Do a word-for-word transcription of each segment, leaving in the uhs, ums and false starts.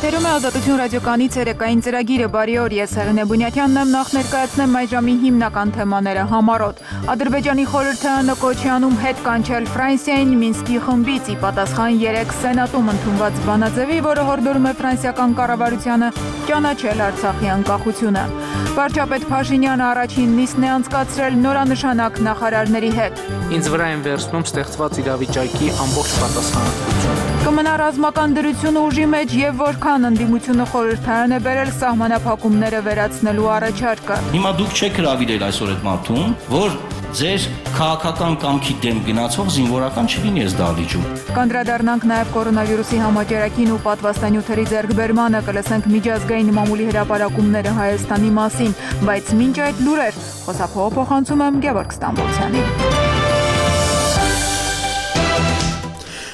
Եթերում է Ազատություն ռադիոկայանի ցերեկային ծրագիրը, բարի օր, ես Հեղինե Բունյաթյանն եմ, նախ ներկայացնեմ այս ժամի հիմնական թեմաները համառոտ։ Ադրբեջանի խորհրդարանը կոչ է անում հետ կանչել Ֆրանսիային Մինսկի խմբից, ի պատասխան երեկ Սենատում ընդունված բանաձևի, որը հորդորում է ֆրանսիական կառավարությանը ճանաչել Արցախի անկախությունը։ Վարչապետ Փաշինյանը առաջին նիստն է անցկացրել նորանշանակ նախարարների հետ։ Ինձ վրա են վերցնում ստեղծված իրավիճակի ամբողջ պատասխանատվությունը։ Կմնա ռազմական դրությունը ուժի մեջ եւ որքան ընդդիմությունը խորհրդարան է բերել սահմանափակումները վերացնելու առաջարկը։ Հիմա դուք չեք հրավիրել այսօր այդ մարդուն, որ ձեր քաղաքական կամքի դեմ գնացող զինվորական չլինի այս դահլիճում։ Կանդրադառնանք նաև կորոնավիրուսի համաճարակին ու պատվաստանյութերի ձեռքբերմանը, կլսենք միջազգային մամուլի հրապարակումները Հայաստանի մասին, բայց մինչ այդ լուրեր, խոսափողը փոխանցում եմ Գևորգ Ստամբոլցյանին։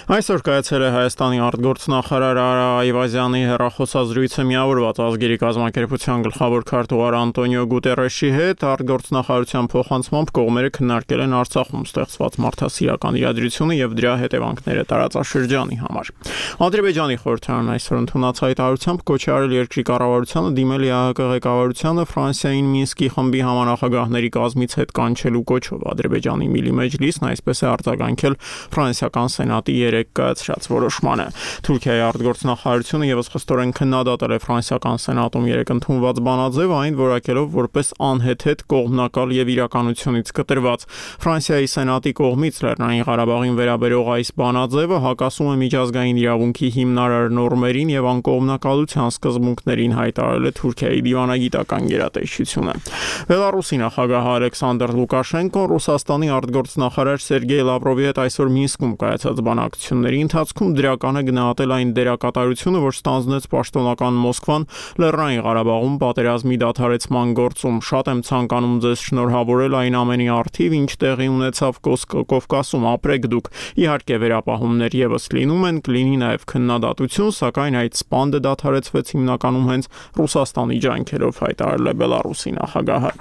Այսօր կայացել է Հայաստանի արտգործնախարար Արա Այվազյանի հեռախոսազրույցը միավորված ազգերի կազմակերպության գլխավոր քարտուղար Անտոնիո Գուտերեշի հետ։ Արտգործնախարարության փոխանցմամբ կողմերը քննարկել են Արցախում ստեղծված մարդասիրական իրադրությունը եւ դրա հետևանքները տարածաշրջանի համար։ Ադրբեջանի խորհրդարանն այսօր ընդունած հայտարարությամբ կոչ է արել երկրի կառավարությանը դիմել ԵԱՀԿ ղեկավարությանը Ֆրանսիային Մինսկի խմբի համանախագահների կազմից հետ կանչելու կոչով։ Ադրբեջանի Միլի մեջլիսն այսպես է արձագանքել ֆրանսիական սենատի կայացրած որոշմանը։ Թուրքիայի արտգործնախարարությունը եւս խստորեն քննադատել է ֆրանսիական սենատում երեկ ընդունված բանաձևը, այն որակելով որպես անհեթեթ, կողմնակալ եւ իրականությունից կտրված։ Ֆրանսիայի սենատի կողմից Լեռնային Ղարաբաղին վերաբերող այս բանաձևը հակասում է միջազգային իրավունքի հիմնարար նորմերին եւ անկողմնակալության սկզբունքներին, հայտարարել է Թուրքիայի դիվանագիտական գերատեսչությունը։ Բելարուսի նախագահ Ալեքսանդր Լուկաշենկոն Ռուսաստանի արտգործնախարար Սերգեյ Լավրովի հետ այսօր Մինսկում կայացած բանակցությունների ընթացքում դրական է գնահատել այն դերակատարությունը, որ ստանձնեց պաշտոնական Մոսկվան Լեռնային Ղարաբաղում պատերազմի դադարեցման գործում։ Շատ եմ ցանկանում ձեզ շնորհավորել այն ամենի առթիվ, ինչ տեղի ունեցավ Կովկասում, ապրեք դուք։ Իհարկե վերապահումներ եւս լինում են, կլինի նաեւ քննադատություն, սակայն այդ սպանդը դադարեցվեց հիմնականում հենց Ռուսաստանի ջանքերով, հայտարարել է Բելարուսի նախագահը։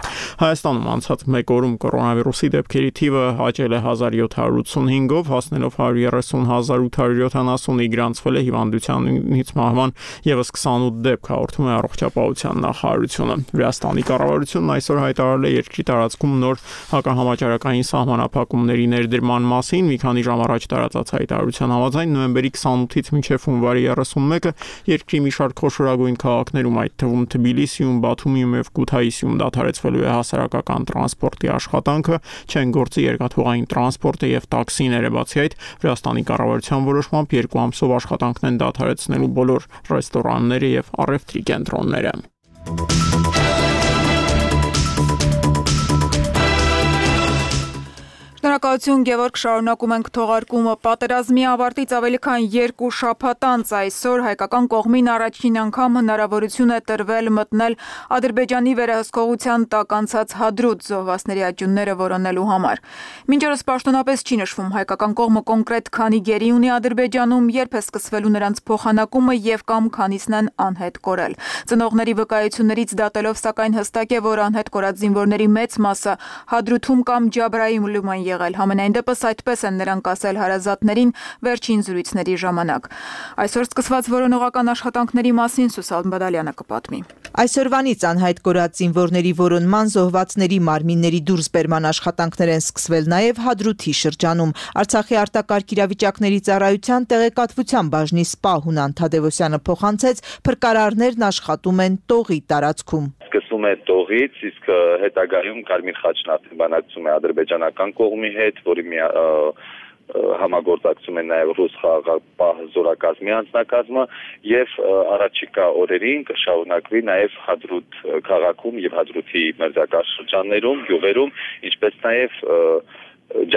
Հայաստանում անցած մեկ օրում կորոնավիրուսի դեպքերի թիվը աճել է հազար յոթ հարյուր ութսունհինգով, հասնելով հարյուր երեսուն հազար ութ հարյուր յոթանասունի, գրանցվել է հիվանդությանից մահվան եւս քսանութ դեպք, հաղորդում է առողջապահության նախարարությունը։ Վրաստանի կառավարությունն այսօր հայտարարել է երկրի տարածքում նոր հակահամաճարակային սահմանափակումների ներդրման մասին։ Մի քանի ժամ առաջ տարածած հայտարարության համաձայն նոյեմբերի քսանութից մինչև հունվարի երեսունմեկը երկրի մի շարք խոշորագույն քաղաքներում, այդ թվում Թբիլիսիում, Բաթումիում եւ Քութայիսիում դադարեցվելու է հասարակական տրանսպորտի աշխատանքը, չեն գործի երկաթուղային տրանսպորտը եւ տաքսիները։ Բացի այդ, Վրաստանի կառավարության որոշմամբ երկու ամսով աշխատանքն են դադարեցնելու բոլոր ռեստորանները եւ առևտրի կենտրոնները։ Շնորհակալություն Գևորգ, շարունակում ենք թողարկումը։ Պատերազմի ավարտից ավելի քան երկու շաբաթ անց այսօր հայկական կողմին առաջին անգամ հնարավորություն է տրվել մտնել Ադրբեջանի վերահսկողության տակ անցած Հադրութ զոհվածների աճյունները որոնելու համար։ Մինչ օրս պաշտոնապես չի նշվում հայկական կողմը կոնկրետ քանի գերի ունի Ադրբեջանում, երբ է սկսվելու նրանց փոխանակումը եւ կամ քանիսն են անհետ կորել։ Ծնողների վկայություններից դատելով, սակայն հստակ է, որ անհետ կորած զինվորների մեծ մասը Հադրութում կամ Ջաբրայիլում են եղել։ Համենայն դեպս այդպես են նրանք ասել հարազատներին վերջին զրույցների ժամանակ։ Այսօր սկսված որոնողական աշխատանքների մասին Սուսան Բադալյանը կպատմի։ Այսօրվանից անհայտ կորած զինվորների որոնման, զոհվածների մարմինների դուրսբերման աշխատանքներ են սկսվել նաև Հադրութի շրջանում։ Արցախի արտակարգ իրավիճակների ծառայության տեղեկատվության բաժնի սպա Հունան Թադևոսյանը փոխանցեց, փրկարարներն աշխատում են Տողի տարածքում։ Սկսվում է Տողից, իսկ հետագայում Կարմիր խաչն արդեն բանակցում է ադրբեջանական կողմի հետ, որի մի համագործակցում են նաև ռուս խաղաղապահ զորակազմի անձնակազմը եւ առաջիկա օրերին կշարունակվի նաև Հադրութ քաղաքում եւ Հադրութի մերձակա շրջաններում, գյուղերում, ինչպես նաև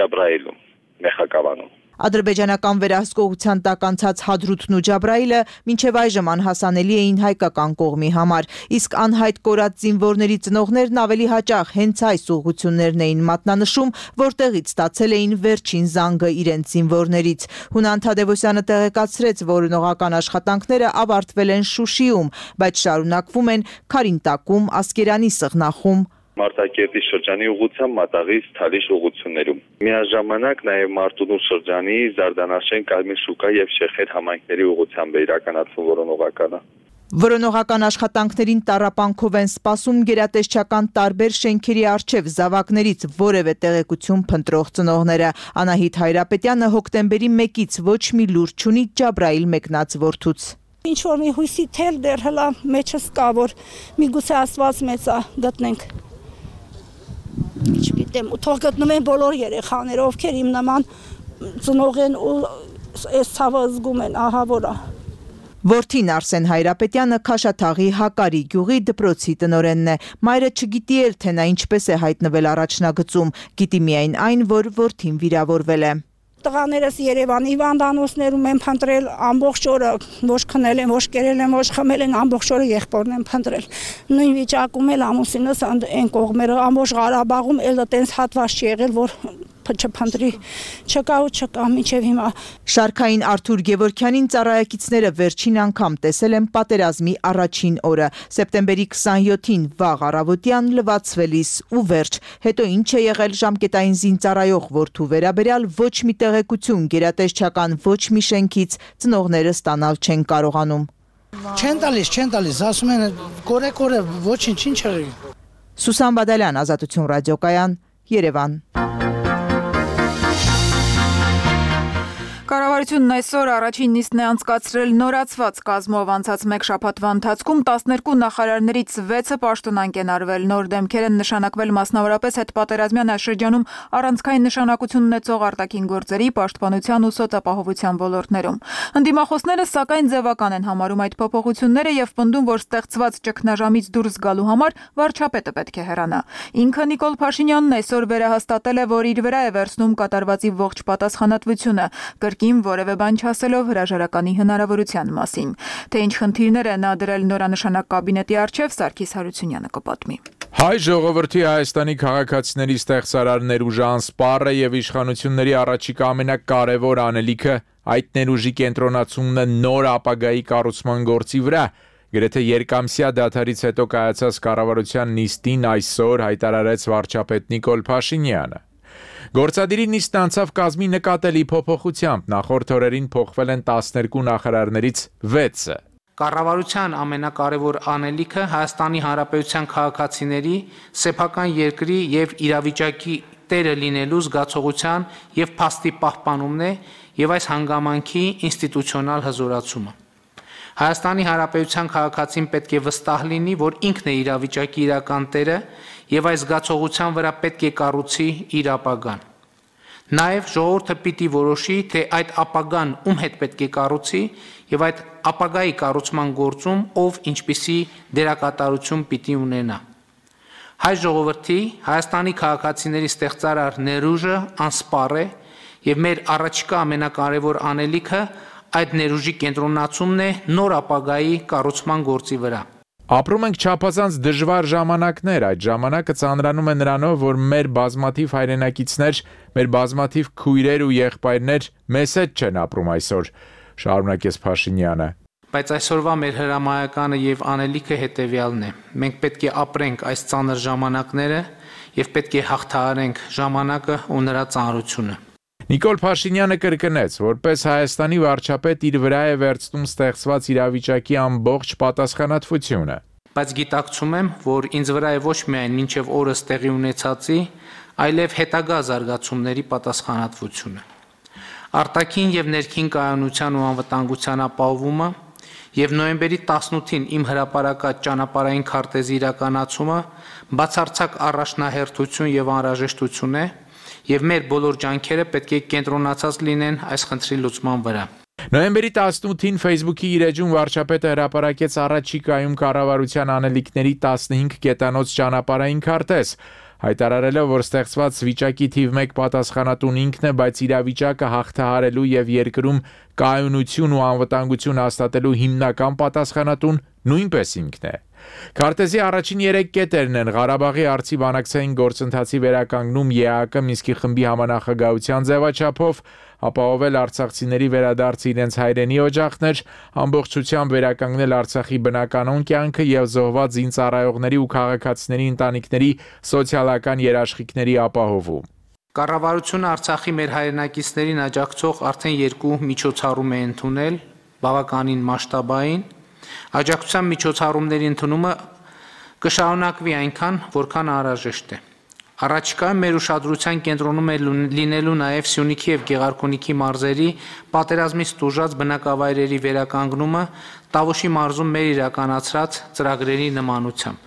Ջաբրայիլում, Մեխակավանում։ Ադրբեջանական վերահսկողության տակ անցած Հադրութն ու Ջաբրայիլը մինչև այժմ անհասանելի էին հայկական կողմի համար, իսկ անհայտ կորած զինվորների ծնողներն ավելի հաճախ հենց այս ուղղություններն էին մատնանշում, որտեղից ստացել էին վերջին զանգը իրենց զինվորներից։ Հունան Թադևոսյանը տեղեկացրեց, որ որոնողական աշխատանքները ավարտվել են Շուշիում, բայց շարունակվում են Քարինտակում, Ասկերանի Սղնախում, Մարտակերտի շրջանի ուղղությամբ Մատաղից Թալիշ ուղղություններում։ Միաժամանակ նաև Մարտունու շրջանի Զարդանաշեն, Կարմիր շուկա եւ Շեխեր համայնքների ուղղությամբ է իրականացվում որոնողականը։ Որոնողական աշխատանքներին տառապանքով են սպասում գերատեսչական տարբեր շենքերի առջև զավակներից որևէ տեղեկություն փնտրող ծնողները։ Անահիտ Հայրապետյանը հոկտեմբերի մեկից ոչ մի լուր չունի Ջաբրայիլ մեկնած որդուց։ Ինչ որ մի հույսի թել դեռ հլա մեջս կա, որ միգուցե Աստված մեծ է գտնենք։ Չգիտեմ, թող գտնում են բոլոր երեխաները, ովքեր իմ նման ծնող են ու այս ցավը զգում են, ահա որա։ Որդին Արսեն Հայրապետյանը Քաշաթաղի Հակարի գյուղի դպրոցի տնօրենն է։ Մայրը չգիտի էլ, թե նա ինչպես է հայտնվել առաջնագծում, գիտի միայն այն, որ որդին վիրավորվել է։ Տղաներս Երևանի հիվանդանոցներում են փնտրել ամբողջ օրը, ոչ քնել են, ոչ կերել են, ոչ խմել են, ամբողջ օրը եղբորն են փնտրել։ Նույն վիճակում էլ ամուսինս այն կողմերը ամբողջ Ղարաբաղում էլ այդպես հատված չի եղել, որ չփնտրի, չկա ու չկա մինչև հիմա։ Շարքային Արթուր Գևորգյանին ծառայակիցները վերջին անգամ տեսել են պատերազմի առաջին օրը, սեպտեմբերի քսանյոթին վաղ առավոտյան լվացվելիս ու վերջ։ Հետո ինչ է եղել ժամկետային զինծառայող որդու վերաբերյալ ոչ մի տեղեկություն գերատեսչական ոչ մի շենքից ծնողները ստանալ չեն կարողանում։ Չեն տալիս, չեն տալիս, ասում են կորե-կորե, ոչինչ, ինչ եղի։ Սուսան Բադալյան, Ազատություն ռադիոկայան, Երևան։ Կառավարությունն այսօր առաջին նիստն է անցկացրել նորացված կազմով անցած մեկ շաբաթվա ընթացքում տասներկու նախարարներից վեցը պաշտոնանկ են արվել, նոր դեմքեր են նշանակվել մասնավորապես հետպատերազմյան այս շրջանում առանցքային նշանակություն ունեցող արտաքին գործերի, պաշտպանության ու սոցապահովության ոլորտներում։ Ընդդիմախոսները սակայն ձևական են համարում այդ փոփոխությունները եւ պնդում, որ ստեղծված ճգնաժամից դուրս գալու համար վարչապետը պետք է հեռանա։ Ինքը Նիկոլ Փաշինյանն այսօր վերահաստատել է, որ իր վրա է վերցնում կատարվածի ողջ պատասխանատվությունը, կին որևէ բան չասելով հրաժարականի հնարավորության մասին։ Թե ինչ խնդիրներ է նա դրել նորանշանակ կաբինետի առջև, Սարգիս Հարությունյանը կպատմի։ Հայ ժողովրդի Հայաստանի քաղաքացիների ստեղծարար ներուժը անսպառ է եւ իշխանությունների առաջիկա ամենակարևոր անելիքը այդ ներուժի կենտրոնացումն է նոր ապագայի կառուցման գործի վրա։ Գրեթե երկամսյա դադարից հետո կայացած կառավարության նիստին այսօր հայտարարեց վարչապետ Նիկոլ Փաշինյանը։ Գործադիրի նիստն անցավ կազմի նկատելի փոփոխությամբ, նախորդ օրերին փոխվել են տասներկու նախարարներից վեցը։ Կառավարության ամենակարևոր անելիքը Հայաստանի Հանրապետության քաղաքացիների սեփական երկրի եւ իրավիճակի տերը լինելու զգացողության եւ փաստի պահպանումն է եւ այս հանգամանքի ինստիտուցիոնալ հզորացումը։ Հայաստանի Հանրապետության քաղաքացին պետք է վստահ լինի, որ ինքն է իրավիճակի իրական տերը եւ այս զգացողության վրա պետք է կառուցի իր ապագան։ Նաեւ ժողովուրդը պիտի որոշի, թե այդ ապագան ում հետ պետք է կառուցի եւ այդ ապագայի կառուցման գործում ով ինչպիսի դերակատարություն պիտի ունենա։ Հայ ժողովրդի Հայաստանի քաղաքացիների ստեղծարար ներուժը անսպառ է եւ մեր առաջիկա ամենակարևոր անելիքը այդ ներուժի կենտրոնացումն է նոր ապագայի կառուցման գործի վրա։ Ապրում ենք չափազանց դժվար ժամանակներ, այդ ժամանակը ծանրանում է նրանով, որ մեր բազմաթիվ հայրենակիցներ, մեր բազմաթիվ քույրեր ու եղբայրներ մեզ հետ չեն ապրում այսօր, շարունակեց Փաշինյանը։ Բայց այսօրվա մեր հրամայականը եւ անելիքը հետեւյալն է. մենք պետք է ապրենք այս ծանր ժամանակները եւ պետք է հաղթահարենք ժամանակը ու նրա ծանրությունը։ Նիկոլ Փաշինյանը կրկնեց, որպես Հայաստանի վարչապետ իր վրա է վերցնում ստեղծված իրավիճակի ամբողջ պատասխանատվությունը։ Բայց գիտակցում եմ, որ ինձ վրա է ոչ միայն մինչև օրս տեղի ունեցածի, այլև հետագա զարգացումների պատասխանատվությունը։ Արտաքին եւ ներքին կայունության ու անվտանգության ապահովումը եւ նոյեմբերի տասնութին իմ հրապարակած ճանապարհային քարտեզի իրականացումը բացարձակ առաջնահերթություն եւ անհրաժեշտություն է եւ մեր բոլոր ջանքերը պետք է կենտրոնացած լինեն այս խնդրի լուծման վրա։ Նոյեմբերի տասնութին Facebook-ի իր էջում վարչապետը հրապարակեց առաջիկայում կառավարության անելիքների տասնհինգ կետանոց ճանապարհային քարտեզ, հայտարարելով, որ ստեղծված վիճակի թիվ մեկ պատասխանատուն ինքն է, բայց իրավիճակը հաղթահարելու եւ երկրում կայունություն ու անվտանգություն հաստատելու հիմնական պատասխանատուն նույնպես ինքն է։ Քարտեզի առաջին երեք կետերն են Ղարաբաղի արծի բանակցային գործընթացի վերականգնում ԵԱՀԿ Մինսկի խմբի համանախագահության ձևաչափով, ապահովել արցախցիների վերադարձը իրենց հայրենի օջախներ, ամբողջությամբ վերականգնել Արցախի բնականոն կյանքը եւ զոհված զինծառայողների ու քաղաքացիների ընտանիքների սոցիալական երաշխիքների ապահովում։ Կառավարությունը Արցախի մեր հայրենակիցներին աջակցող արդեն երկու միջոցառում է ընդունել, բավականին մասշտաբային, Աջակցության միջոցառումների ընդունումը կշարունակվի այնքան, որքան անհրաժեշտ է։ Առաջիկայում մեր ուշադրության կենտրոնում է լինելու նաև Սյունիքի և Գեղարքունիքի մարզերի պատերազմից տուժած բնակավայրերի վերականգնումը Տավուշի մարզում մեր իրականացրած ծրագրերի նմանությամբ։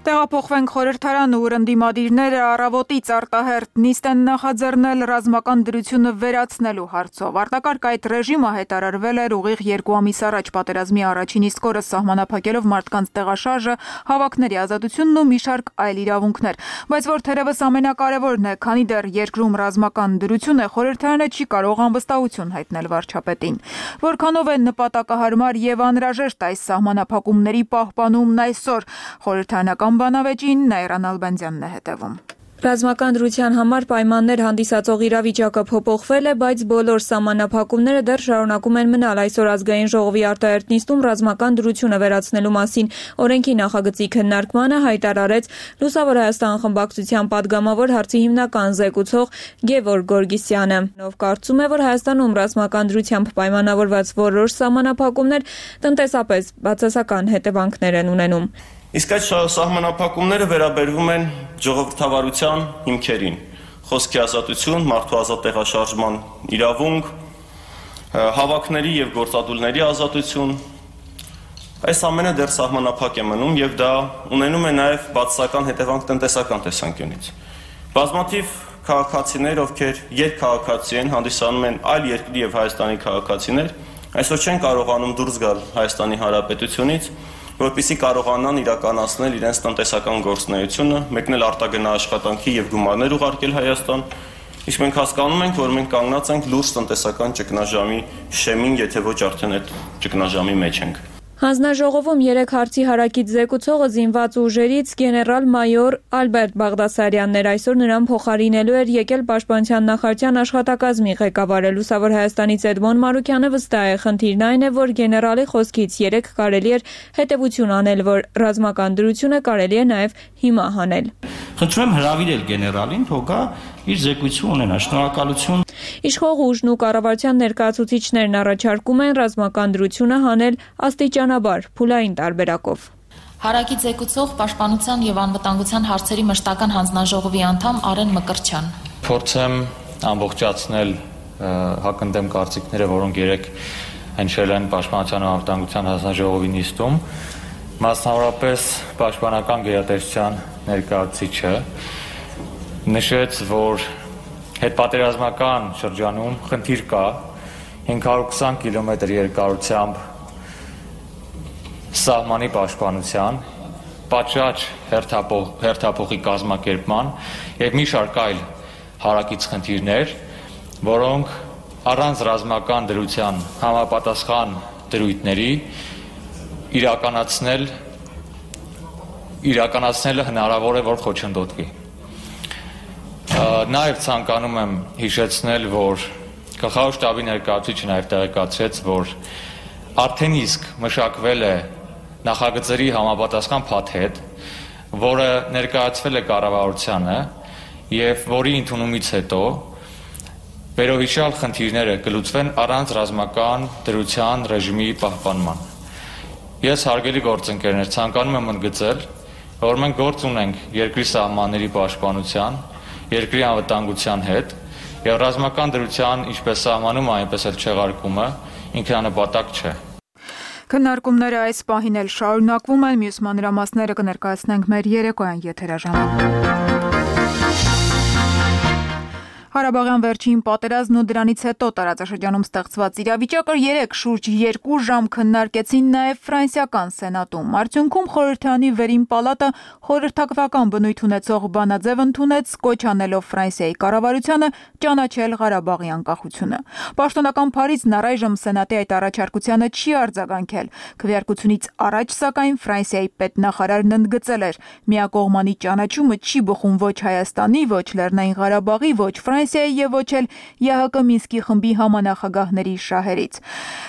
Տեղափոխվենք խորհրդարան, ուր ընդդիմադիրները առավոտից արտահերթ նիստ են նախաձեռնել ռազմական դրությունը վերացնելու հարցով։ Արտակարգ այդ ռեժիմը հայտարարվել էր ուղիղ երկու ամիս առաջ պատերազմի առաջին իսկ օրը սահմանափակելով մարդկանց տեղաշարժը, հավաքների ազատությունն ու մի շարք այլ իրավունքներ։ Բայց որ թերևս ամենակարևորն է, քանի դեռ երկրում ռազմական դրություն է, խորհրդարանը չի կարող անվստահություն հայտնել վարչապետին։ Որքանով է նպատակահարմար եւ անհրաժեշտ այս սահմանափակումների պահպանումն այսօր, խորհրդարանական բանավեճին Նայրան Ալբանդյանն է հետևում։ Ռազմական դրության համար պայմաններ հանդիսացող իրավիճակը փոփոխվել է, բայց բոլոր սահմանափակումները դեռ շարունակում են մնալ։ Այսօր ազգային ժողովի արտահերթ նիստում ռազմական դրությունը վերացնելու մասին օրենքի նախագծի քննարկմանը հայտարարեց Լուսավոր Հայաստան խմբակցության падգամավոր հարցի հիմնական զեկուցող Գևորգ Գորգիսյանը։ Ով կարծում է, որ Հայաստանում ռազմական դրությամբ պայմանավորված որոշ սահմանափակումներ տնտեսապես բացասական հետևանքներ են ունենում։ Իսկ այդ սահմանափակումները վերաբերվում են ժողովրդավարության հիմքերին՝ խոսքի ազատություն, մարդու ազատ տեղաշարժման իրավունք, հավաքների եւ գործադուլների ազատություն։ Այս ամենը դեռ սահմանափակ է մնում եւ դա ունենում է նաեւ բացասական հետևանք տնտեսական տեսանկյունից։ Բազմաթիվ քաղաքացիներ, ովքեր երկքաղաքացի են, հանդիսանում են այլ երկրի եւ Հայաստանի քաղաքացիներ, այսօր չեն կարողանում դուրս գալ Հայաստանի Հանրապետությունից, որպեսզի կարողանան իրականացնել իրենց տնտեսական գործունեությունը, մեկնել արտագնա աշխատանքի եւ գումարներ ուղարկել Հայաստան, իսկ մենք հասկանում ենք, որ մենք կանգնած ենք լուրջ տնտեսական ճգնաժամի շեմին, եթե ոչ արդեն այդ ճգնաժամի մեջ ենք։ Հանձնաժողովում երեք հարցի հարակից զեկուցողը զինված ուժերից գեներալ-մայոր Ալբերտ Բաղդասարյանն էր։ Այսօր նրան փոխարինելու էր եկել Պաշտպանության նախարարության աշխատակազմի ղեկավարը Լուսավոր Հայաստանից Էդմոն Մարուկյանը վստահ է, խնդիրն այն է, որ գեներալի խոսքից երեք կարելի էր հետևություն անել, որ ռազմական դրությունը կարելի է նաև հիմա հանել։ Խնդրում եմ հրավիրել գեներալին, թող գա իր զեկույցը ունենա։ Շնորհակալություն։ Իշխող ուժն ու կառավարության ներկայացուցիչներն առաջարկում են ռազմական դրությունը հանել աստիճանաբար, փուլային տարբերակով։ Հարակից զեկուցող Պաշտպանության եւ անվտանգության հարցերի մշտական հանձնաժողովի անդամ Արեն Մկրտչյան։ Փորձեմ ամբողջացնել հակընդդեմ կարծիքները, որոնք երեք հնչել են Պաշտպանության ու անվտանգության հանձնաժողովի նիստում, մասնավորապես Պաշտպանական գերատեսչության ներկայացուցիչը նշեց, որ հետպատերազմական շրջանում խնդիր կա հինգ հարյուր քսան կիլոմետր երկարությամբ սահմանի պաշտպանության, պատշաճ հերթափոխի կազմակերպման եւ մի շարք այլ հարակից խնդիրներ, որոնք առանց ռազմական դրության համապատասխան դրույթների իրականացնել իրականացնելը հնարավոր է, որ խոչընդոտվի։ Նաև ցանկանում եմ հիշեցնել, որ գլխավոր շտաբի ներկայացուցիչը նաև տեղեկացրեց, որ արդեն իսկ մշակվել է նախագծերի համապատասխան փաթեթ, որը ներկայացվել է կառավարությանը եւ որի ընդունումից հետո վերոհիշյալ խնդիրները կլուծվեն առանց ռազմական դրության ռեժիմի պահպանման։ Ես հարգելի գործընկերներ, ցանկանում եմ ընդգծել, որ մենք գործ ունենք երկրի սահմանների պաշտպանության, երկրի անվտանգության հետ եւ ռազմական դրության ինչպես սահմանում, այնպես էլ չեղարկումը ինքնանպատակ չէ։ Քննարկումները այս պահին էլ շարունակվում են, մյուս մանրամասները կներկայացնենք մեր երեկոյան եթերաժամում։ Ղարաբաղյան վերջին պատերազմն ու դրանից հետո տարածաշրջանում ստեղծված իրավիճակը երեք շուրջ երկու ժամ քննարկեցին նաև ֆրանսիական սենատում։ Արդյունքում խորհրդարանի վերին պալատը խորհրդատվական բնույթ ունեցող բանաձև ընդունեց, կոչ անելով Ֆրանսիայի կառավարությանը ճանաչել Ղարաբաղի անկախությունը։ Պաշտոնական Փարիզն առայժմ սենատի այդ առաջարկությանը չի արձագանքել։ Քվեարկությունից առաջ, սակայն, Ֆրանսիայի պետնախարարն ընդգծել էր՝ միակողմանի ճանաչումը չի բխում ոչ Հայաստանի, ոչ Լեռնային Ղարաբաղի, ոչ Ֆրանսիայի եւ ոչ էլ ԵՀԿ Մինսկի խմբի համանախագահների շահերից։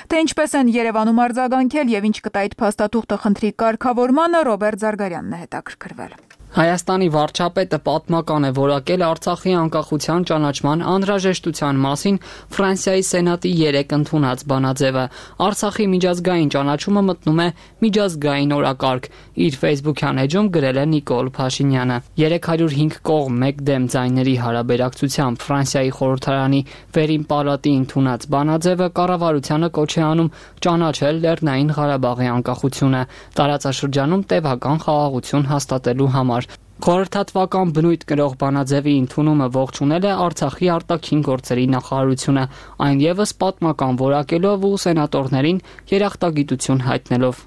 Թե ինչպես են Երևանում արձագանքել եւ ինչ կտա այդ փաստաթուղթը խնդրի կարգավորմանը, Ռոբերտ Զարգարյանն է հետաքրքրվել։ Հայաստանի վարչապետը պատմական է որակել Արցախի անկախության ճանաչման անհրաժեշտության մասին Ֆրանսիայի Սենատի երեկ ընդունած բանաձևը։ Արցախի միջազգային ճանաչումը մտնում է միջազգային օրակարգ, իր Facebook-յան էջում գրել է Նիկոլ Փաշինյանը։ երեք հարյուր հինգ կողմ մեկ դեմ ձայների հարաբերակցությամբ Ֆրանսիայի խորհրդարանի վերին պալատի ընդունած բանաձևը կառավարությանը կոչ է անում ճանաչել Լեռնային Ղարաբաղի անկախությունը, տարածաշրջանում տևական խաղաղություն հաստատելու համար։ Խորհրդատվական բնույթ կրող բանաձևի ընդունումը ողջունել է Արցախի արտաքին գործերի նախարարությունը, այն ևս պատմական որակելով ու սենատորներին երախտագիտություն հայտնելով։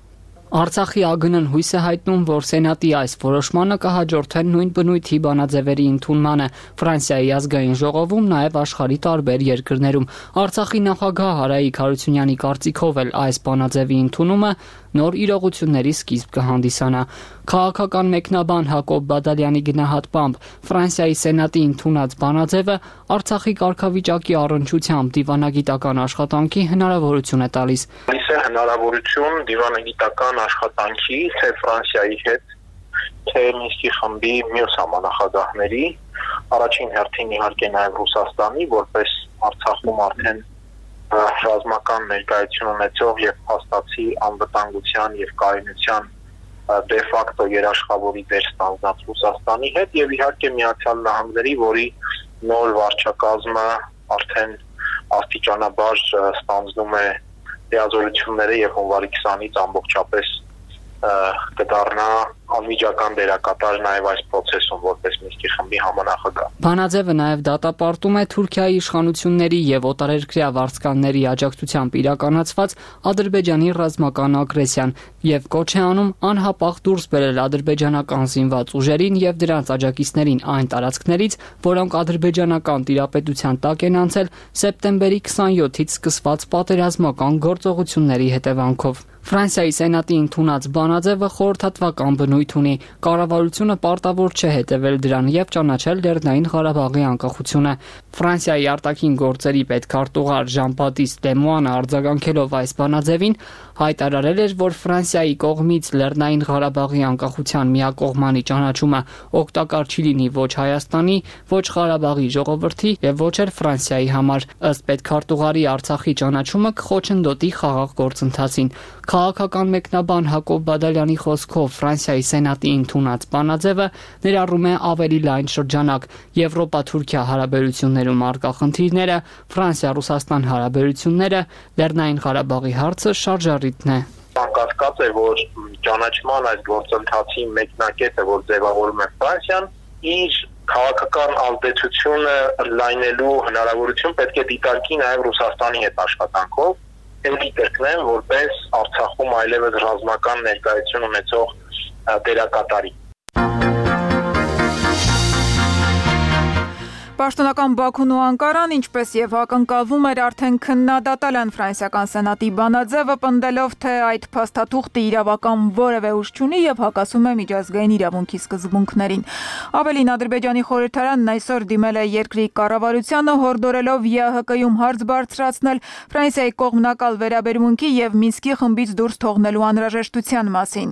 Արցախի ԱԳՆ-ն հույս է հայտնում, որ Սենատի այս որոշմանը կհաջորդեն նույն բնույթի բանաձևերի ընդունմանը Ֆրանսիայի ազգային ժողովում, նաև աշխարհի տարբեր երկրներում։ Արցախի նախագահ Հարայիկ Հարությունյանի կարծիքով էլ այս բանաձևի ընդունումը նոր իրողությունների սկիզբ կհանդիսանա։ Քաղաքական մեկնաբան Հակոբ Բադալյանի գնահատմամբ Ֆրանսիայի Սենատի ընդունած բանաձևը Արցախի կարգավիճակի առնչությամբ դիվանագիտական աշխատանքի հնարավորություն է տալիս։ Այս է հնարավորություն դիվանագիտական աշխատանքի թե Ֆրանսիայի հետ, թե Մինսկի խմբի մյուս համանախագահների, առաջին հերթին իհարկե նաև Ռուսաստանի, որպես Արցախում արդեն ռազմական ներկայություն ունեցող եւ փաստացի անվտանգության եւ կայունության դե ֆակտո երաշխավորի դեր ստանձնած Ռուսաստանի հետ եւ իհարկե Միացյալ Նահանգների, որի նոր վարչակազմը արդեն աստիճանաբար ստանձնում է լիազորությունները եւ հունվարի քսանից ամբողջապես կդառնա անմիջական դերակատար նաև այս process-ում որպես Մինսկի խմբի համանախագահ։ Բանաձևը նաև դատապարտում է Թուրքիայի իշխանությունների եւ օտարերկրյա վարձկանների աջակցությամբ իրականացված Ադրբեջանի ռազմական ագրեսիան եւ կոչ է անում անհապաղ դուրս բերել ադրբեջանական զինված ուժերին եւ դրանց աջակիցներին այն տարածքներից, որոնք ադրբեջանական տիրապետության տակ են անցել սեպտեմբերի քսանյոթից սկսված պատերազմական գործողությունների հետևանքով։ Ֆրանսիայի Սենատի ընդունած բանաձևը խորհրդատվական բնույթ ունի։ Կառավարությունը պարտավոր չէ հետևել դրան եւ ճանաչել Լեռնային Ղարաբաղի անկախությունը։ Ֆրանսիայի արտաքին գործերի պետքարտուղար Ժան-Բատիստ Լեմուանը արձագանքելով այս բանաձևին հայտարարել էր, որ Ֆրանսիայի կողմից Լեռնային Ղարաբաղի անկախության միակողմանի ճանաչումը օգտակար չի լինի ոչ Հայաստանի, ոչ Ղարաբաղի ժողովրդի եւ ոչ էլ Ֆրանսիայի համար։ Ըստ պետքարտուղարի Արցախի ճանաչումը կխոչընդոտի խաղաղ գործընթացին։ Քաղաքական մեկնաբան Հակոբ Բադալյանի խոսքով Ֆրանսիայի Սենատի ընդունած բանաձևը ներառում է ավելի լայն շրջանակ՝ Եվրոպա-Թուրքիա հարաբերություններում առկա խնդիրները, Ֆրանսիա-Ռուսաստան հարաբերությունները, Լեռնային Ղարաբաղի հարցը շարժառիթն է։ Անկասկած է, որ ճանաչման այս գործընթացի մեկնակետը, որ ձևավորում է Ֆրանսիան, իր քաղաքական ազդեցությունը լայնելու հնարավորություն պետք է դիտարկի նաև Ռուսաստանի հետ աշխատանքով։ Էլի կրկնեմ, որպես Արցախում այլևս ռազմական ներկայություն ունեցող դերակատարի։ Պաշտոնական Բաքուն ու Անկարան, ինչպես եւ ակնկալվում էր, արդեն քննադատել են ֆրանսիական սենատի բանաձևը, պնդելով, թե այդ փաստաթուղթը իրավական որևէ ուժ չունի եւ հակասում է միջազգային իրավունքի սկզբունքներին։ Ավելին, Ադրբեջանի խորհրդարանն այսօր դիմել է երկրի կառավարությանը, հորդորելով ԵԱՀԿ-ում հարց բարձրացնել Ֆրանսիայի կողմնակալ վերաբերմունքի եւ Մինսկի խմբից դուրս թողնելու անհրաժեշտության մասին։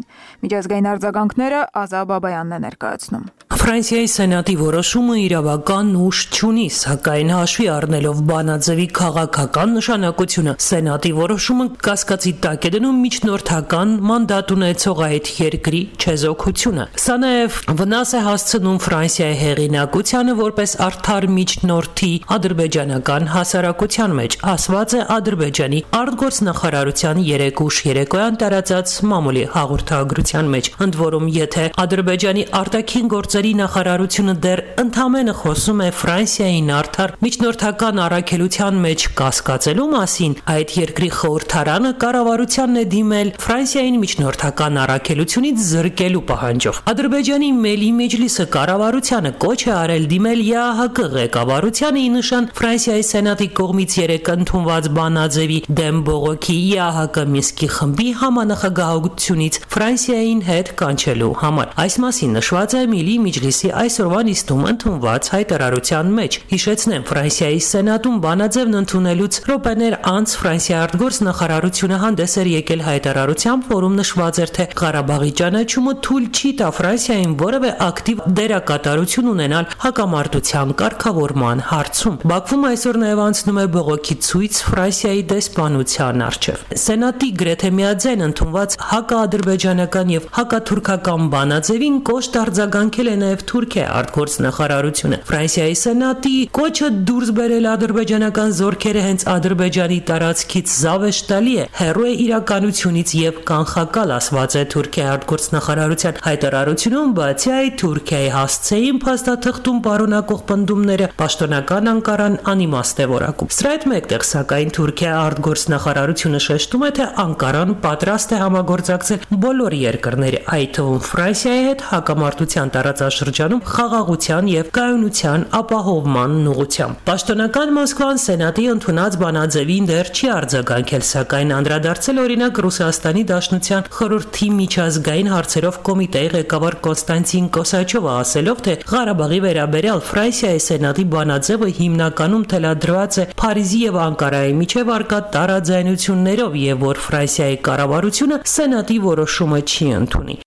Միջազգային արձագանքները Ազա Բաբայանն է ներկայացնում։ Ֆրանսիայի սենատի որոշումը իրավական ուժ չունի, սակայն հաշվի առնելով բանաձևի քաղաքական նշանակությունը, սենատի որոշումը կասկածի տակ է դնում միջնորդական մանդատ ունեցող այդ երկրի չեզոքությունը։ Սա նաև վնաս է հասցնում Ֆրանսիայի հեղինակությանը որպես արդար միջնորդի ադրբեջանական հասարակության մեջ, ասված է Ադրբեջանի արտգործնախարարության երեկ ուշ երեկոյան տարածած մամուլի հաղորդագրության մեջ։ Ընդ որում, եթե Ադրբեջանի արտաքին գործերի նախարարությունը դեռ ընդամենը խոսում է Ֆրանսիային արդար միջնորդական առաքելության մեջ կասկածելու մասին, այդ երկրի խորհրդարանը կառավարությանն է դիմել Ֆրանսիային միջնորդական առաքելությունից զրկելու պահանջով։ Ադրբեջանի Մելի Մեջլիսը կառավարությանը կոչ է արել դիմել ԵԱՀԿ ղեկավարությանը ի նշան Ֆրանսիայի սենատի կողմից երեկ ընդունված բանաձևի դեմ բողոքի ԵԱՀԿ Մինսկի խմբի համանախագահությունից Ֆրանսիային հետ կանչելու համար։ Այս մասին նշված է Մելի Մեջլիսի այսօրվա նիստում ընդունված հայտարարության մեջ։ Հիշեցնեմ, Ֆրանսիայի Սենատում բանաձևն ընդունելուց րոպեներ անց Ֆրանսիայի արտգործնախարարությունը հանդես էր եկել հայտարարությամբ, որում նշված էր, թե Ղարաբաղի ճանաչումը թույլ չի տա Ֆրանսիային որևէ ակտիվ դերակատարություն ունենալ հակամարտության կարգավորման հարցում։ Բաքվում այսօր նաև անցնում է բողոքի ցույց Ֆրանսիայի դեսպանության առջև։ Սենատի գրեթե միաձայն ընդունված հակաադրբեջանական եւ հակաթուրքական բանաձևին կոշտ արձագանքել է նաև Թուրքիա արտգործնախարարությունը։ Ֆրանսիայի Սենատի կոչը դուրս բերել ադրբեջանական զորքերը հենց Ադրբեջանի տարածքից զավեշտալի է, հեռու է իրականությունից եւ կանխակալ, ասված է Թուրքիայի արտգործնախարարության հայտարարությունում, բացի այդ Թուրքիայի հասցեին փաստաթղթում պարունակող պնդումները պաշտոնական Անկարան անիմաստ է որակում։ Սրա հետ մեկտեղ, սակայն Թուրքիայի արտգործնախարարությունը շեշտում է, թե Անկարան պատրաստ է համագործակցել բոլոր երկրների, այդ թվում Ֆրանսիայի հետ հակամարտության տարածաշրջանում խաղաղության եւ կայունության ապահովման ուղղությամբ։ Պաշտոնական Մոսկվան Սենատի ընդունած բանաձևին դեռ չի արձագանքել, սակայն անդրադարձել օրինակ Ռուսաստանի Դաշնության խորհրդի միջազգային հարցերով կոմիտեի ղեկավար Կոնստանտին Կոսաչովը, ասելով, թե Ղարաբաղի վերաբերյալ Ֆրանսիայի Սենատի բանաձևը հիմնականում թելադրված է Փարիզի եւ Անկարայի միջև արկա տարաձայնություններով եւ որ Ֆրանսիայի կառավարությունը Սենատի որոշումը չի ընդունի։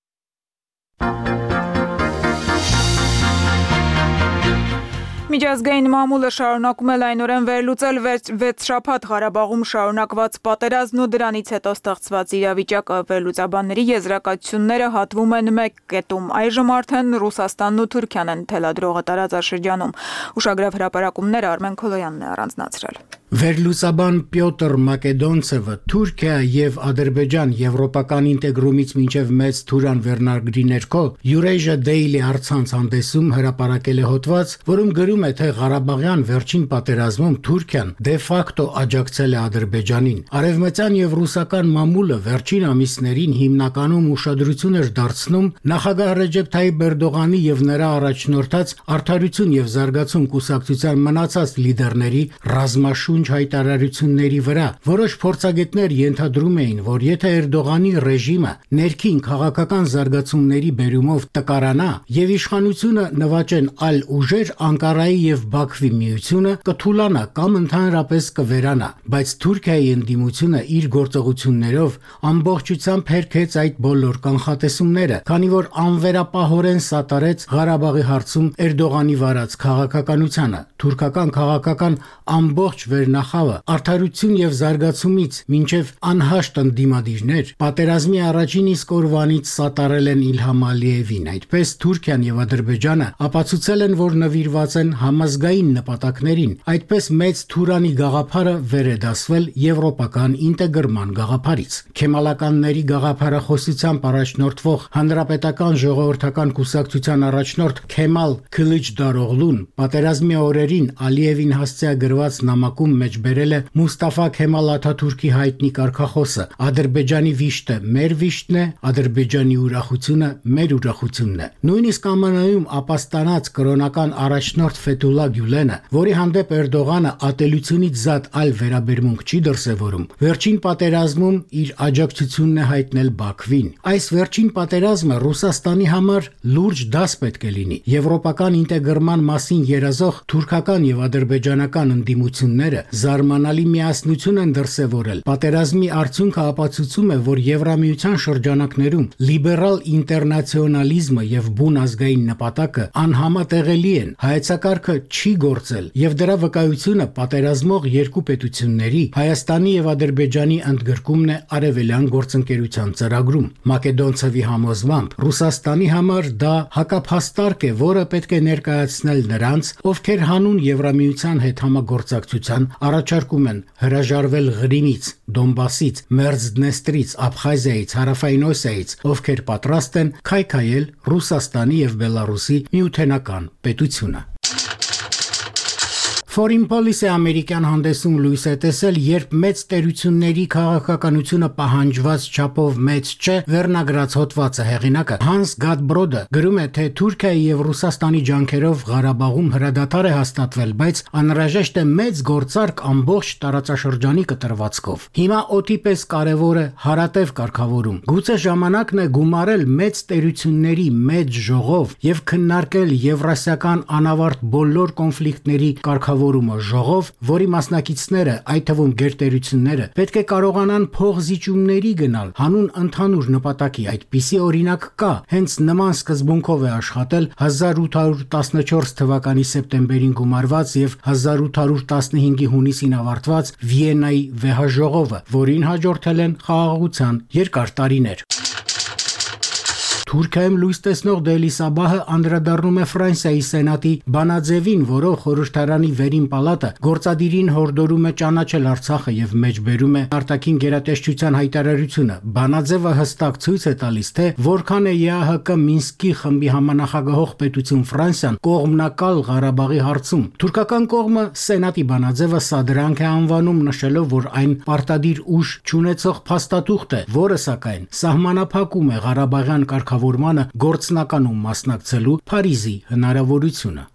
Միջազգային մամուլը շարունակում է լայնորեն վերլուծել վեց շաբաթ Ղարաբաղում շարունակված պատերազմն ու դրանից հետո ստեղծված իրավիճակը։ Վերլուծաբանների եզրակացությունները հատվում են մեկ կետում։ Այժմ արդեն Ռուսաստանն ու Թուրքիան են թելադրողը տարածաշրջանում։ Ուշագրավ հրապարակումները Արմեն Քոլոյանն է առանձնացրել։ Վերլուծաբան Պյոտր Մակեդոնցևը Թուրքիա եւ Ադրբեջան եվրոպական ինտեգրումից մինչեւ մեծ Թուրան վերնագրի ներքո Eurasia Daily առցանց հանդեսում հրապարակել է հոդված, որում գրում է, թե Ղարաբաղյան վերջին պատերազմում Թուրքիան դե ֆակտո աջակցել է Ադրբեջանին։ Արևմտյան եւ ռուսական մամուլը վերջին ամիսներին հիմնականում ուշադրություն էր դարձնում նախագահ Ռեջեփ Թայիփ Էրդողանի եւ նրա առաջնորդած Արդարություն եւ զարգացում կուսակցության մնացած լիդերների ռազմաշունչ հայտարարությունների վրա։ Որոշ փորձագետներ ենթադրում էին, որ եթե Էրդողանի ռեժիմը ներքին քաղաքական զարգացումների բերումով տկարանա եւ իշխանությունը նվաճեն այլ ուժեր, Անկարայի եւ Բաքվի միությունը կթուլանա կամ ընդհանրապես կվերանա, բայց Թուրքիայի ընդդիմությունը իր գործողություններով ամբողջությամբ հերքեց այդ բոլոր կանխատեսումները, քանի որ անվերապահորեն սատարեց Ղարաբաղի հարցում Էրդողանի վարած քաղաքականությանը։ Թուրքական քաղաքական ամբողջ վերնախավը արդարություն եւ զարգացումից մինչեւ անհաշտ ընդդիմադիրներ պատերազմի առաջին իսկ օրվանից սատարել են Իլհամ Ալիևին։ Այդպես Թուրքիան եւ Ադրբեջանը ապացուցել են, որ նվիրված են համազգային նպատակներին։ Այդպես մեծ Թուրանի գաղափարը վեր է դասվել եվրոպական ինտեգրման գաղափարից։ Քեմալականների գաղափարախոսությամբ առաջնորդվող Հանրապետական ժողովրդական կուսակցության առաջնորդ Քեմալ Քլիչդարօղլուն պատերազմի օրերին Ալիևին հասցեագրված նամակում մեջ բերել է Մուստաֆա Քեմալ Աթաթուրքի հայտնի կարգախոսը. Ադրբեջանի վիշտը մեր վիշտն է, Ադրբեջանի ուրախությունը մեր ուրախությունն է։ Նույնիսկ Ա Մ Ն-ում ապաստանած կրոնական առաջնորդ Ֆեթուլա Գյուլենը, որի հանդեպ Էրդողանը ատելությունից զատ այլ վերաբերմունք չի դրսևորում, վերջին պատերազմում իր աջակցությունն է հայտնել Բաքվին։ Այս վերջին պատերազմը Ռուսաստանի համար լուրջ դաս պետք է լինի։ Եվրոպական ինտեգրման մասին երազող թուրքական եւ ադրբեջանական ընդդիմությունները զարմանալի միասնություն են դրսևորել։ Պատերազմի արդյունքը ապացուցում է, որ Եվրամիության շրջանակներում լիբերալ ինտերնացիոնալիզմը եւ բուն ազգային նպատակը անհամատեղելի են։ Հայեցակարգը չի գործել եւ դրա վկայությունը պատերազմող երկու պետությունների Հայաստանի եւ Ադրբեջանի ընդգրկումն է արևելյան գործընկերության ծրագրում։ Մակեդոնցևի համոզմամբ Ռուսաստանի համար դա հակափաստարկ է, որը պետք է ներկայացնել նրանց, ովքեր հանուն Եվրամիության հետ համագործակցության առաջարկում են հրաժարվել Ղրիմից, Դոնբասից, Մերձդնեստրից, Աբխազիայից, Հարավային Օսիայից, ովքեր պատրաստ են քայքայել Ռուսաստանի եւ Բելարուսի միութենական պետությունը։ Foreign Policy ամերիկյան հանդեսում լույս է տեսել, երբ մեծ տերությունների քաղաքականությունը պահանջված չափով մեծ չէ, վերնագրած հոդվածը հեղինակը Հանս Գադբրոդը գրում է, թե Թուրքիայի եւ Ռուսաստանի ջանքերով Ղարաբաղում հրադադար է հաստատվել, բայց անհրաժեշտ է մեծ գործարք ամբողջ տարածաշրջանի կտրվածքով։ Հիմա օդի պես կարևոր է հարատև կարգավորում։ Գուցե ժամանակն է գումարել մեծ տերությունների մեծ ժողով եւ քննարկել եվրասիական անավարտ բոլոր կոնֆլիկտների կարգավորումը ժողով, որի մասնակիցները, այդ թվում գերտերությունները, պետք է կարողանան փոխզիջումների գնալ հանուն ընդհանուր նպատակի։ Այդպիսի օրինակ կա, հենց նման սկզբունքով է աշխատել հազար ութ հարյուր տասնչորս թվականի սեպտեմբերին գումարված եւ հազար ութ հարյուր տասնհինգի հունիսին ավարտված Վիեննայի վեհաժողովը, որին հաջորդել են խաղաղության երկար տարիներ։ Թուրքիայում լույս տեսնող Դելի Սաբահը անդրադառնում է Ֆրանսիայի սենատի բանաձևին, որով խորհրդարանի վերին պալատը գործադիրին հորդորում է ճանաչել Արցախը եւ մեջբերում է արտաքին գերատեսչության հայտարարությունը։ Բանաձևը հստակ ցույց է տալիս, թե որքան է ԵԱՀԿ Մինսկի խմբի համանախագահող պետություն Ֆրանսիան կողմնակալ Ղարաբաղի հարցում։ Թուրքական կողմը սենատի բանաձևը սադրանք է անվանում, նշելով, որ այն պարտադիր ուժ չունեցող փաստաթուղթ է, որը սակայն սահմանափակում է Ղարաբաղյան կարգավորմանը գործնականում մասնակցելու Փարիզի հնարավորությունը։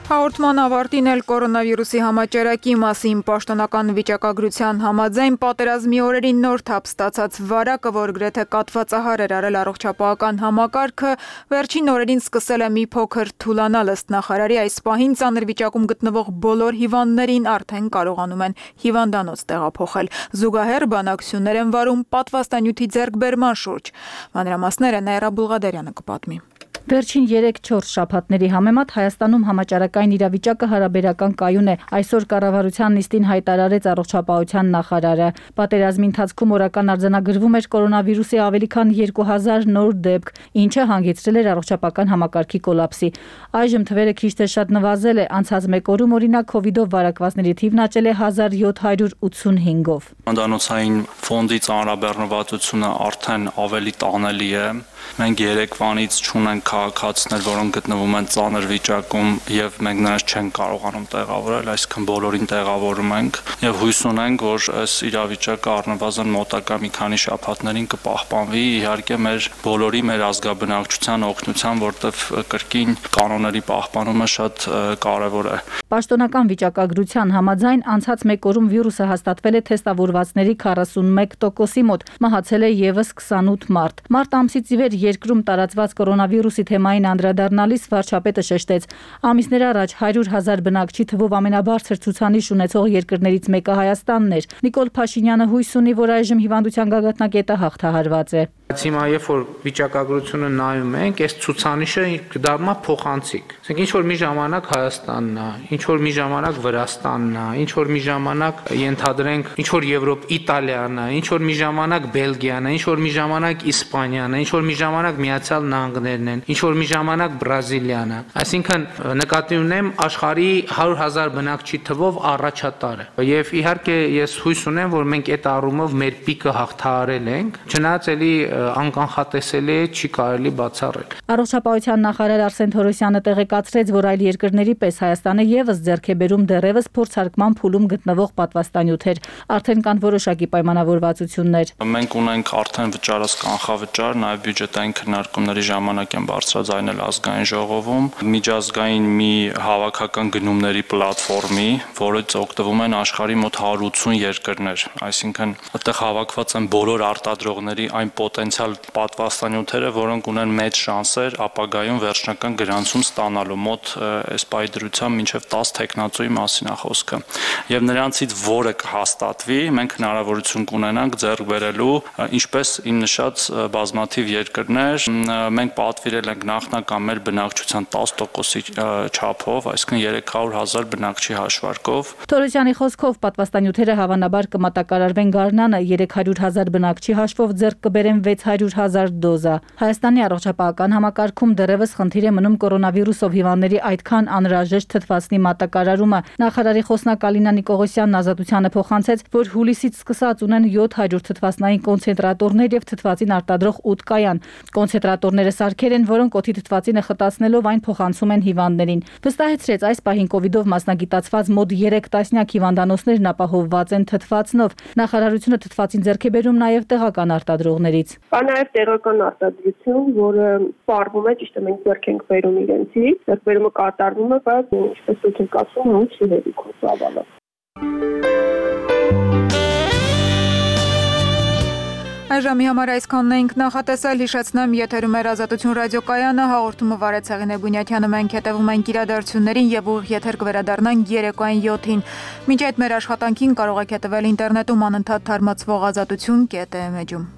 Հաղորդման ավարտին էլ կորոնավիրուսի համաճարակի մասին պաշտոնական վիճակագրության համաձայն պատերազմի օրերին նոր թափ ստացած վարակը, որ գրեթե կաթվածահար էր արել առողջապահական համակարգը, վերջին օրերին սկսել է մի փոքր թուլանալ ըստ նախարարի այս պահին ծանր վիճակում գտնվող բոլոր հիվանդներին արդեն կարողանում են հիվանդանոց տեղափոխել։ Զուգահեռ բանակցություններ են վարում պատվաստանյութի ձեռքբերման շուրջ։ Մանրամասները Նաիրա Բուլղադարյանը կպատմի։ Վերջին երեք-չորս շաբաթների համեմատ Հայաստանում համաճարակային իրավիճակը հարաբերական կայուն է, այսօր կառավարության նիստին հայտարարեց առողջապահության նախարարը։ Պատերազմի ընթացքում օրական արձանագրվում էր կորոնավիրուսի ավելի քան երկու հազար նոր դեպք, ինչը հանգեցրել էր առողջապահական համակարգի կոլապսի։ Այժմ թվերը քիչ թե շատ նվազել է, անցած մեկ օրում օրինակ քովիդով վարակվածների թիվն աճել է հազար յոթ հարյուր ութսունհինգով։ Հիվանդանոցային ֆոնդի ծանրաբեռնվածությունը արդեն ավելի տանելի է։ Մենք երեկվանից չունենք քաղաքացիներ, որոնք գտնվում են ծանր վիճակում եւ մենք նրանց չենք կարողանում տեղավորել, այսինքն բոլորին տեղավորում ենք եւ հույս ունենք, որ այս իրավիճակը առնվազն մոտակա մի քանի շաբաթներին կպահպանվի, իհարկե մեր բոլորի մեր ազգաբնակչության օգնությամբ, որտեղ կրկին կանոնների պահպանումը շատ կարեւոր է։ Պաշտոնական վիճակագրության համաձայն անցած մեկ օրում վիրուսը հաստատվել է թեստավորվածների քառասունմեկ տոկոսի մոտ, մահացել է եւս քսանութ մարդ։ Մարտ ամսից ի վեր երկրում տարածված կորոնավիրուսի թեմային անդրադառնալիս վարչապետը շեշտեց. ամիսներ առաջ հարյուր հազար բնակչի թվով ամենաբարձր ցուցանիշ ունեցող երկրներից մեկը Հայաստանն էր։ Նիկոլ Փաշինյանը հույս ունի, որ այժմ հիվանդության գագաթնակետը հաղթահարված է։ Հիմա երբ որ վիճակագրությունը նայում ենք, այս ցուցանիշը կդառնա փոխանցիկ։ Ասենք ինչ որ մի ժամանակ Հայաստանն է, ինչ որ մի ժամանակ Վրաստանն է, ինչ որ մի ժամանակ ենթադրենք ինչ որ Եվրոպ Իտալիան է, ինչ որ մի ժամանակ Բելգիան է, ինչ որ մի ժամանակ Իսպանիան է, ինչ որ մի ժամանակ Միացյալ Նահանգներն են, ինչ որ մի ժամանակ Բրազիլիան է։ Այսինքն նկատի ունեմ աշխարհի հարյուր հազար բնակչի թվով առաջատարը։ Եվ իհարկե ես հույս ունեմ, որ մենք այդ առումով մեր պիկը հաղթահարել ենք, չնայած էլի անկանխատեսելի է, չի կարելի բացառել։ Առողջապահության նախարար Արսեն Թորոսյանը տեղեկացրեց, որ այլ երկրների պես Հայաստանը եւս ձեռք է բերում դեռևս փորձարկման փուլում գտնվող պատվաստանյութեր։ Արդեն կան որոշակի պայմանավորվածություններ։ Մենք ունենք արդեն վճարած կանխավճար, նաեւ բյուջետային քննարկումների ժամանակ են բարձրաձայնել ազգային ժողովում միջազգային մի հավաքական գնումների պլատֆորմի, որից օգտվում են աշխարհի մոտ հարյուր ութսուն երկրներ, այսինքն այդտեղ հավաքված են բոլոր արտադրողների այն պոտենցիալ պատվաստանյութերը, որոնք ունեն մեծ շանսեր ապագայում վերջնական գրանցում ստանալու մոտ այս պայդրությամբ մինչև տասը տեխնացուի մասին է խոսքը։ Եվ նրանցից որը կհաստատվի, մենք հնարավորություն կունենանք ձեռք բերելու, ինչպես իմ նշած բազմաթիվ երկրներ, մենք պատվիրել ենք նախնական մեր բնակչության տասը տոկոսի չափով, այսինքն երեք հարյուր հազար բնակչի հաշվարկով։ Թորոսյանի խոսքով պատվաստանյութերը հավանաբար կմատակարարվեն գարնանը երեք հարյուր հազար բնակչի հաշվով ձեռք կբերեն վեց հարյուր հազար դոզա։ Հայաստանի առողջապահական համակարգում դեռևս խնդիր է մնում կորոնավիրուսով հիվանդների այդքան անհրաժեշտ թթվածնի մատակարարումը։ Նախարարի խոսնակ Ալինա Նիկողոսյանն Ազատությանը փոխանցեց, որ հուլիսից սկսած ունեն յոթ հարյուր թթվածնային կոնցենտրատորներ եւ թթվածին արտադրող ութ կայան։ Կոնցենտրատորները սարքեր են, որոնք օդի թթվածինը խտացնելով այն փոխանցում են հիվանդներին։ Վստահեցրեց, այս պահին կովիդով մասնագիտացված մոտ երեք տասնյակ հիվանդանոցներն ապահովված են թթվածնով։ Նախարարությունը թթվածին ձեռք է բերում նաև տեղական արտադրողներից։ Կա նաև տեղական արտադրություն, որը սպառվում է, ճիշտ է, մենք ձեռք ենք բերում իրենցից, ձեռքբերումը կատարվում է, բայց ինչպես դուք եք ասում, ոնց չի հերիքում ծավալը։ Այժմի համար այսքանն էինք նախատեսել, հիշեցնեմ, եթերում էր Ազատություն ռադիոկայանը, հաղորդումը վարեց Հեղինե Բունյաթյանը, մենք հետևում ենք իրադարձություններին եւ ուղիղ եթեր կվերադառնանք երեկոյան յոթին։ Մինչ այդ մեր աշխատանքին կարող եք հետևել ինտերնետում անընդհատ թարմացվող ազատություն կետ է էջ-ում։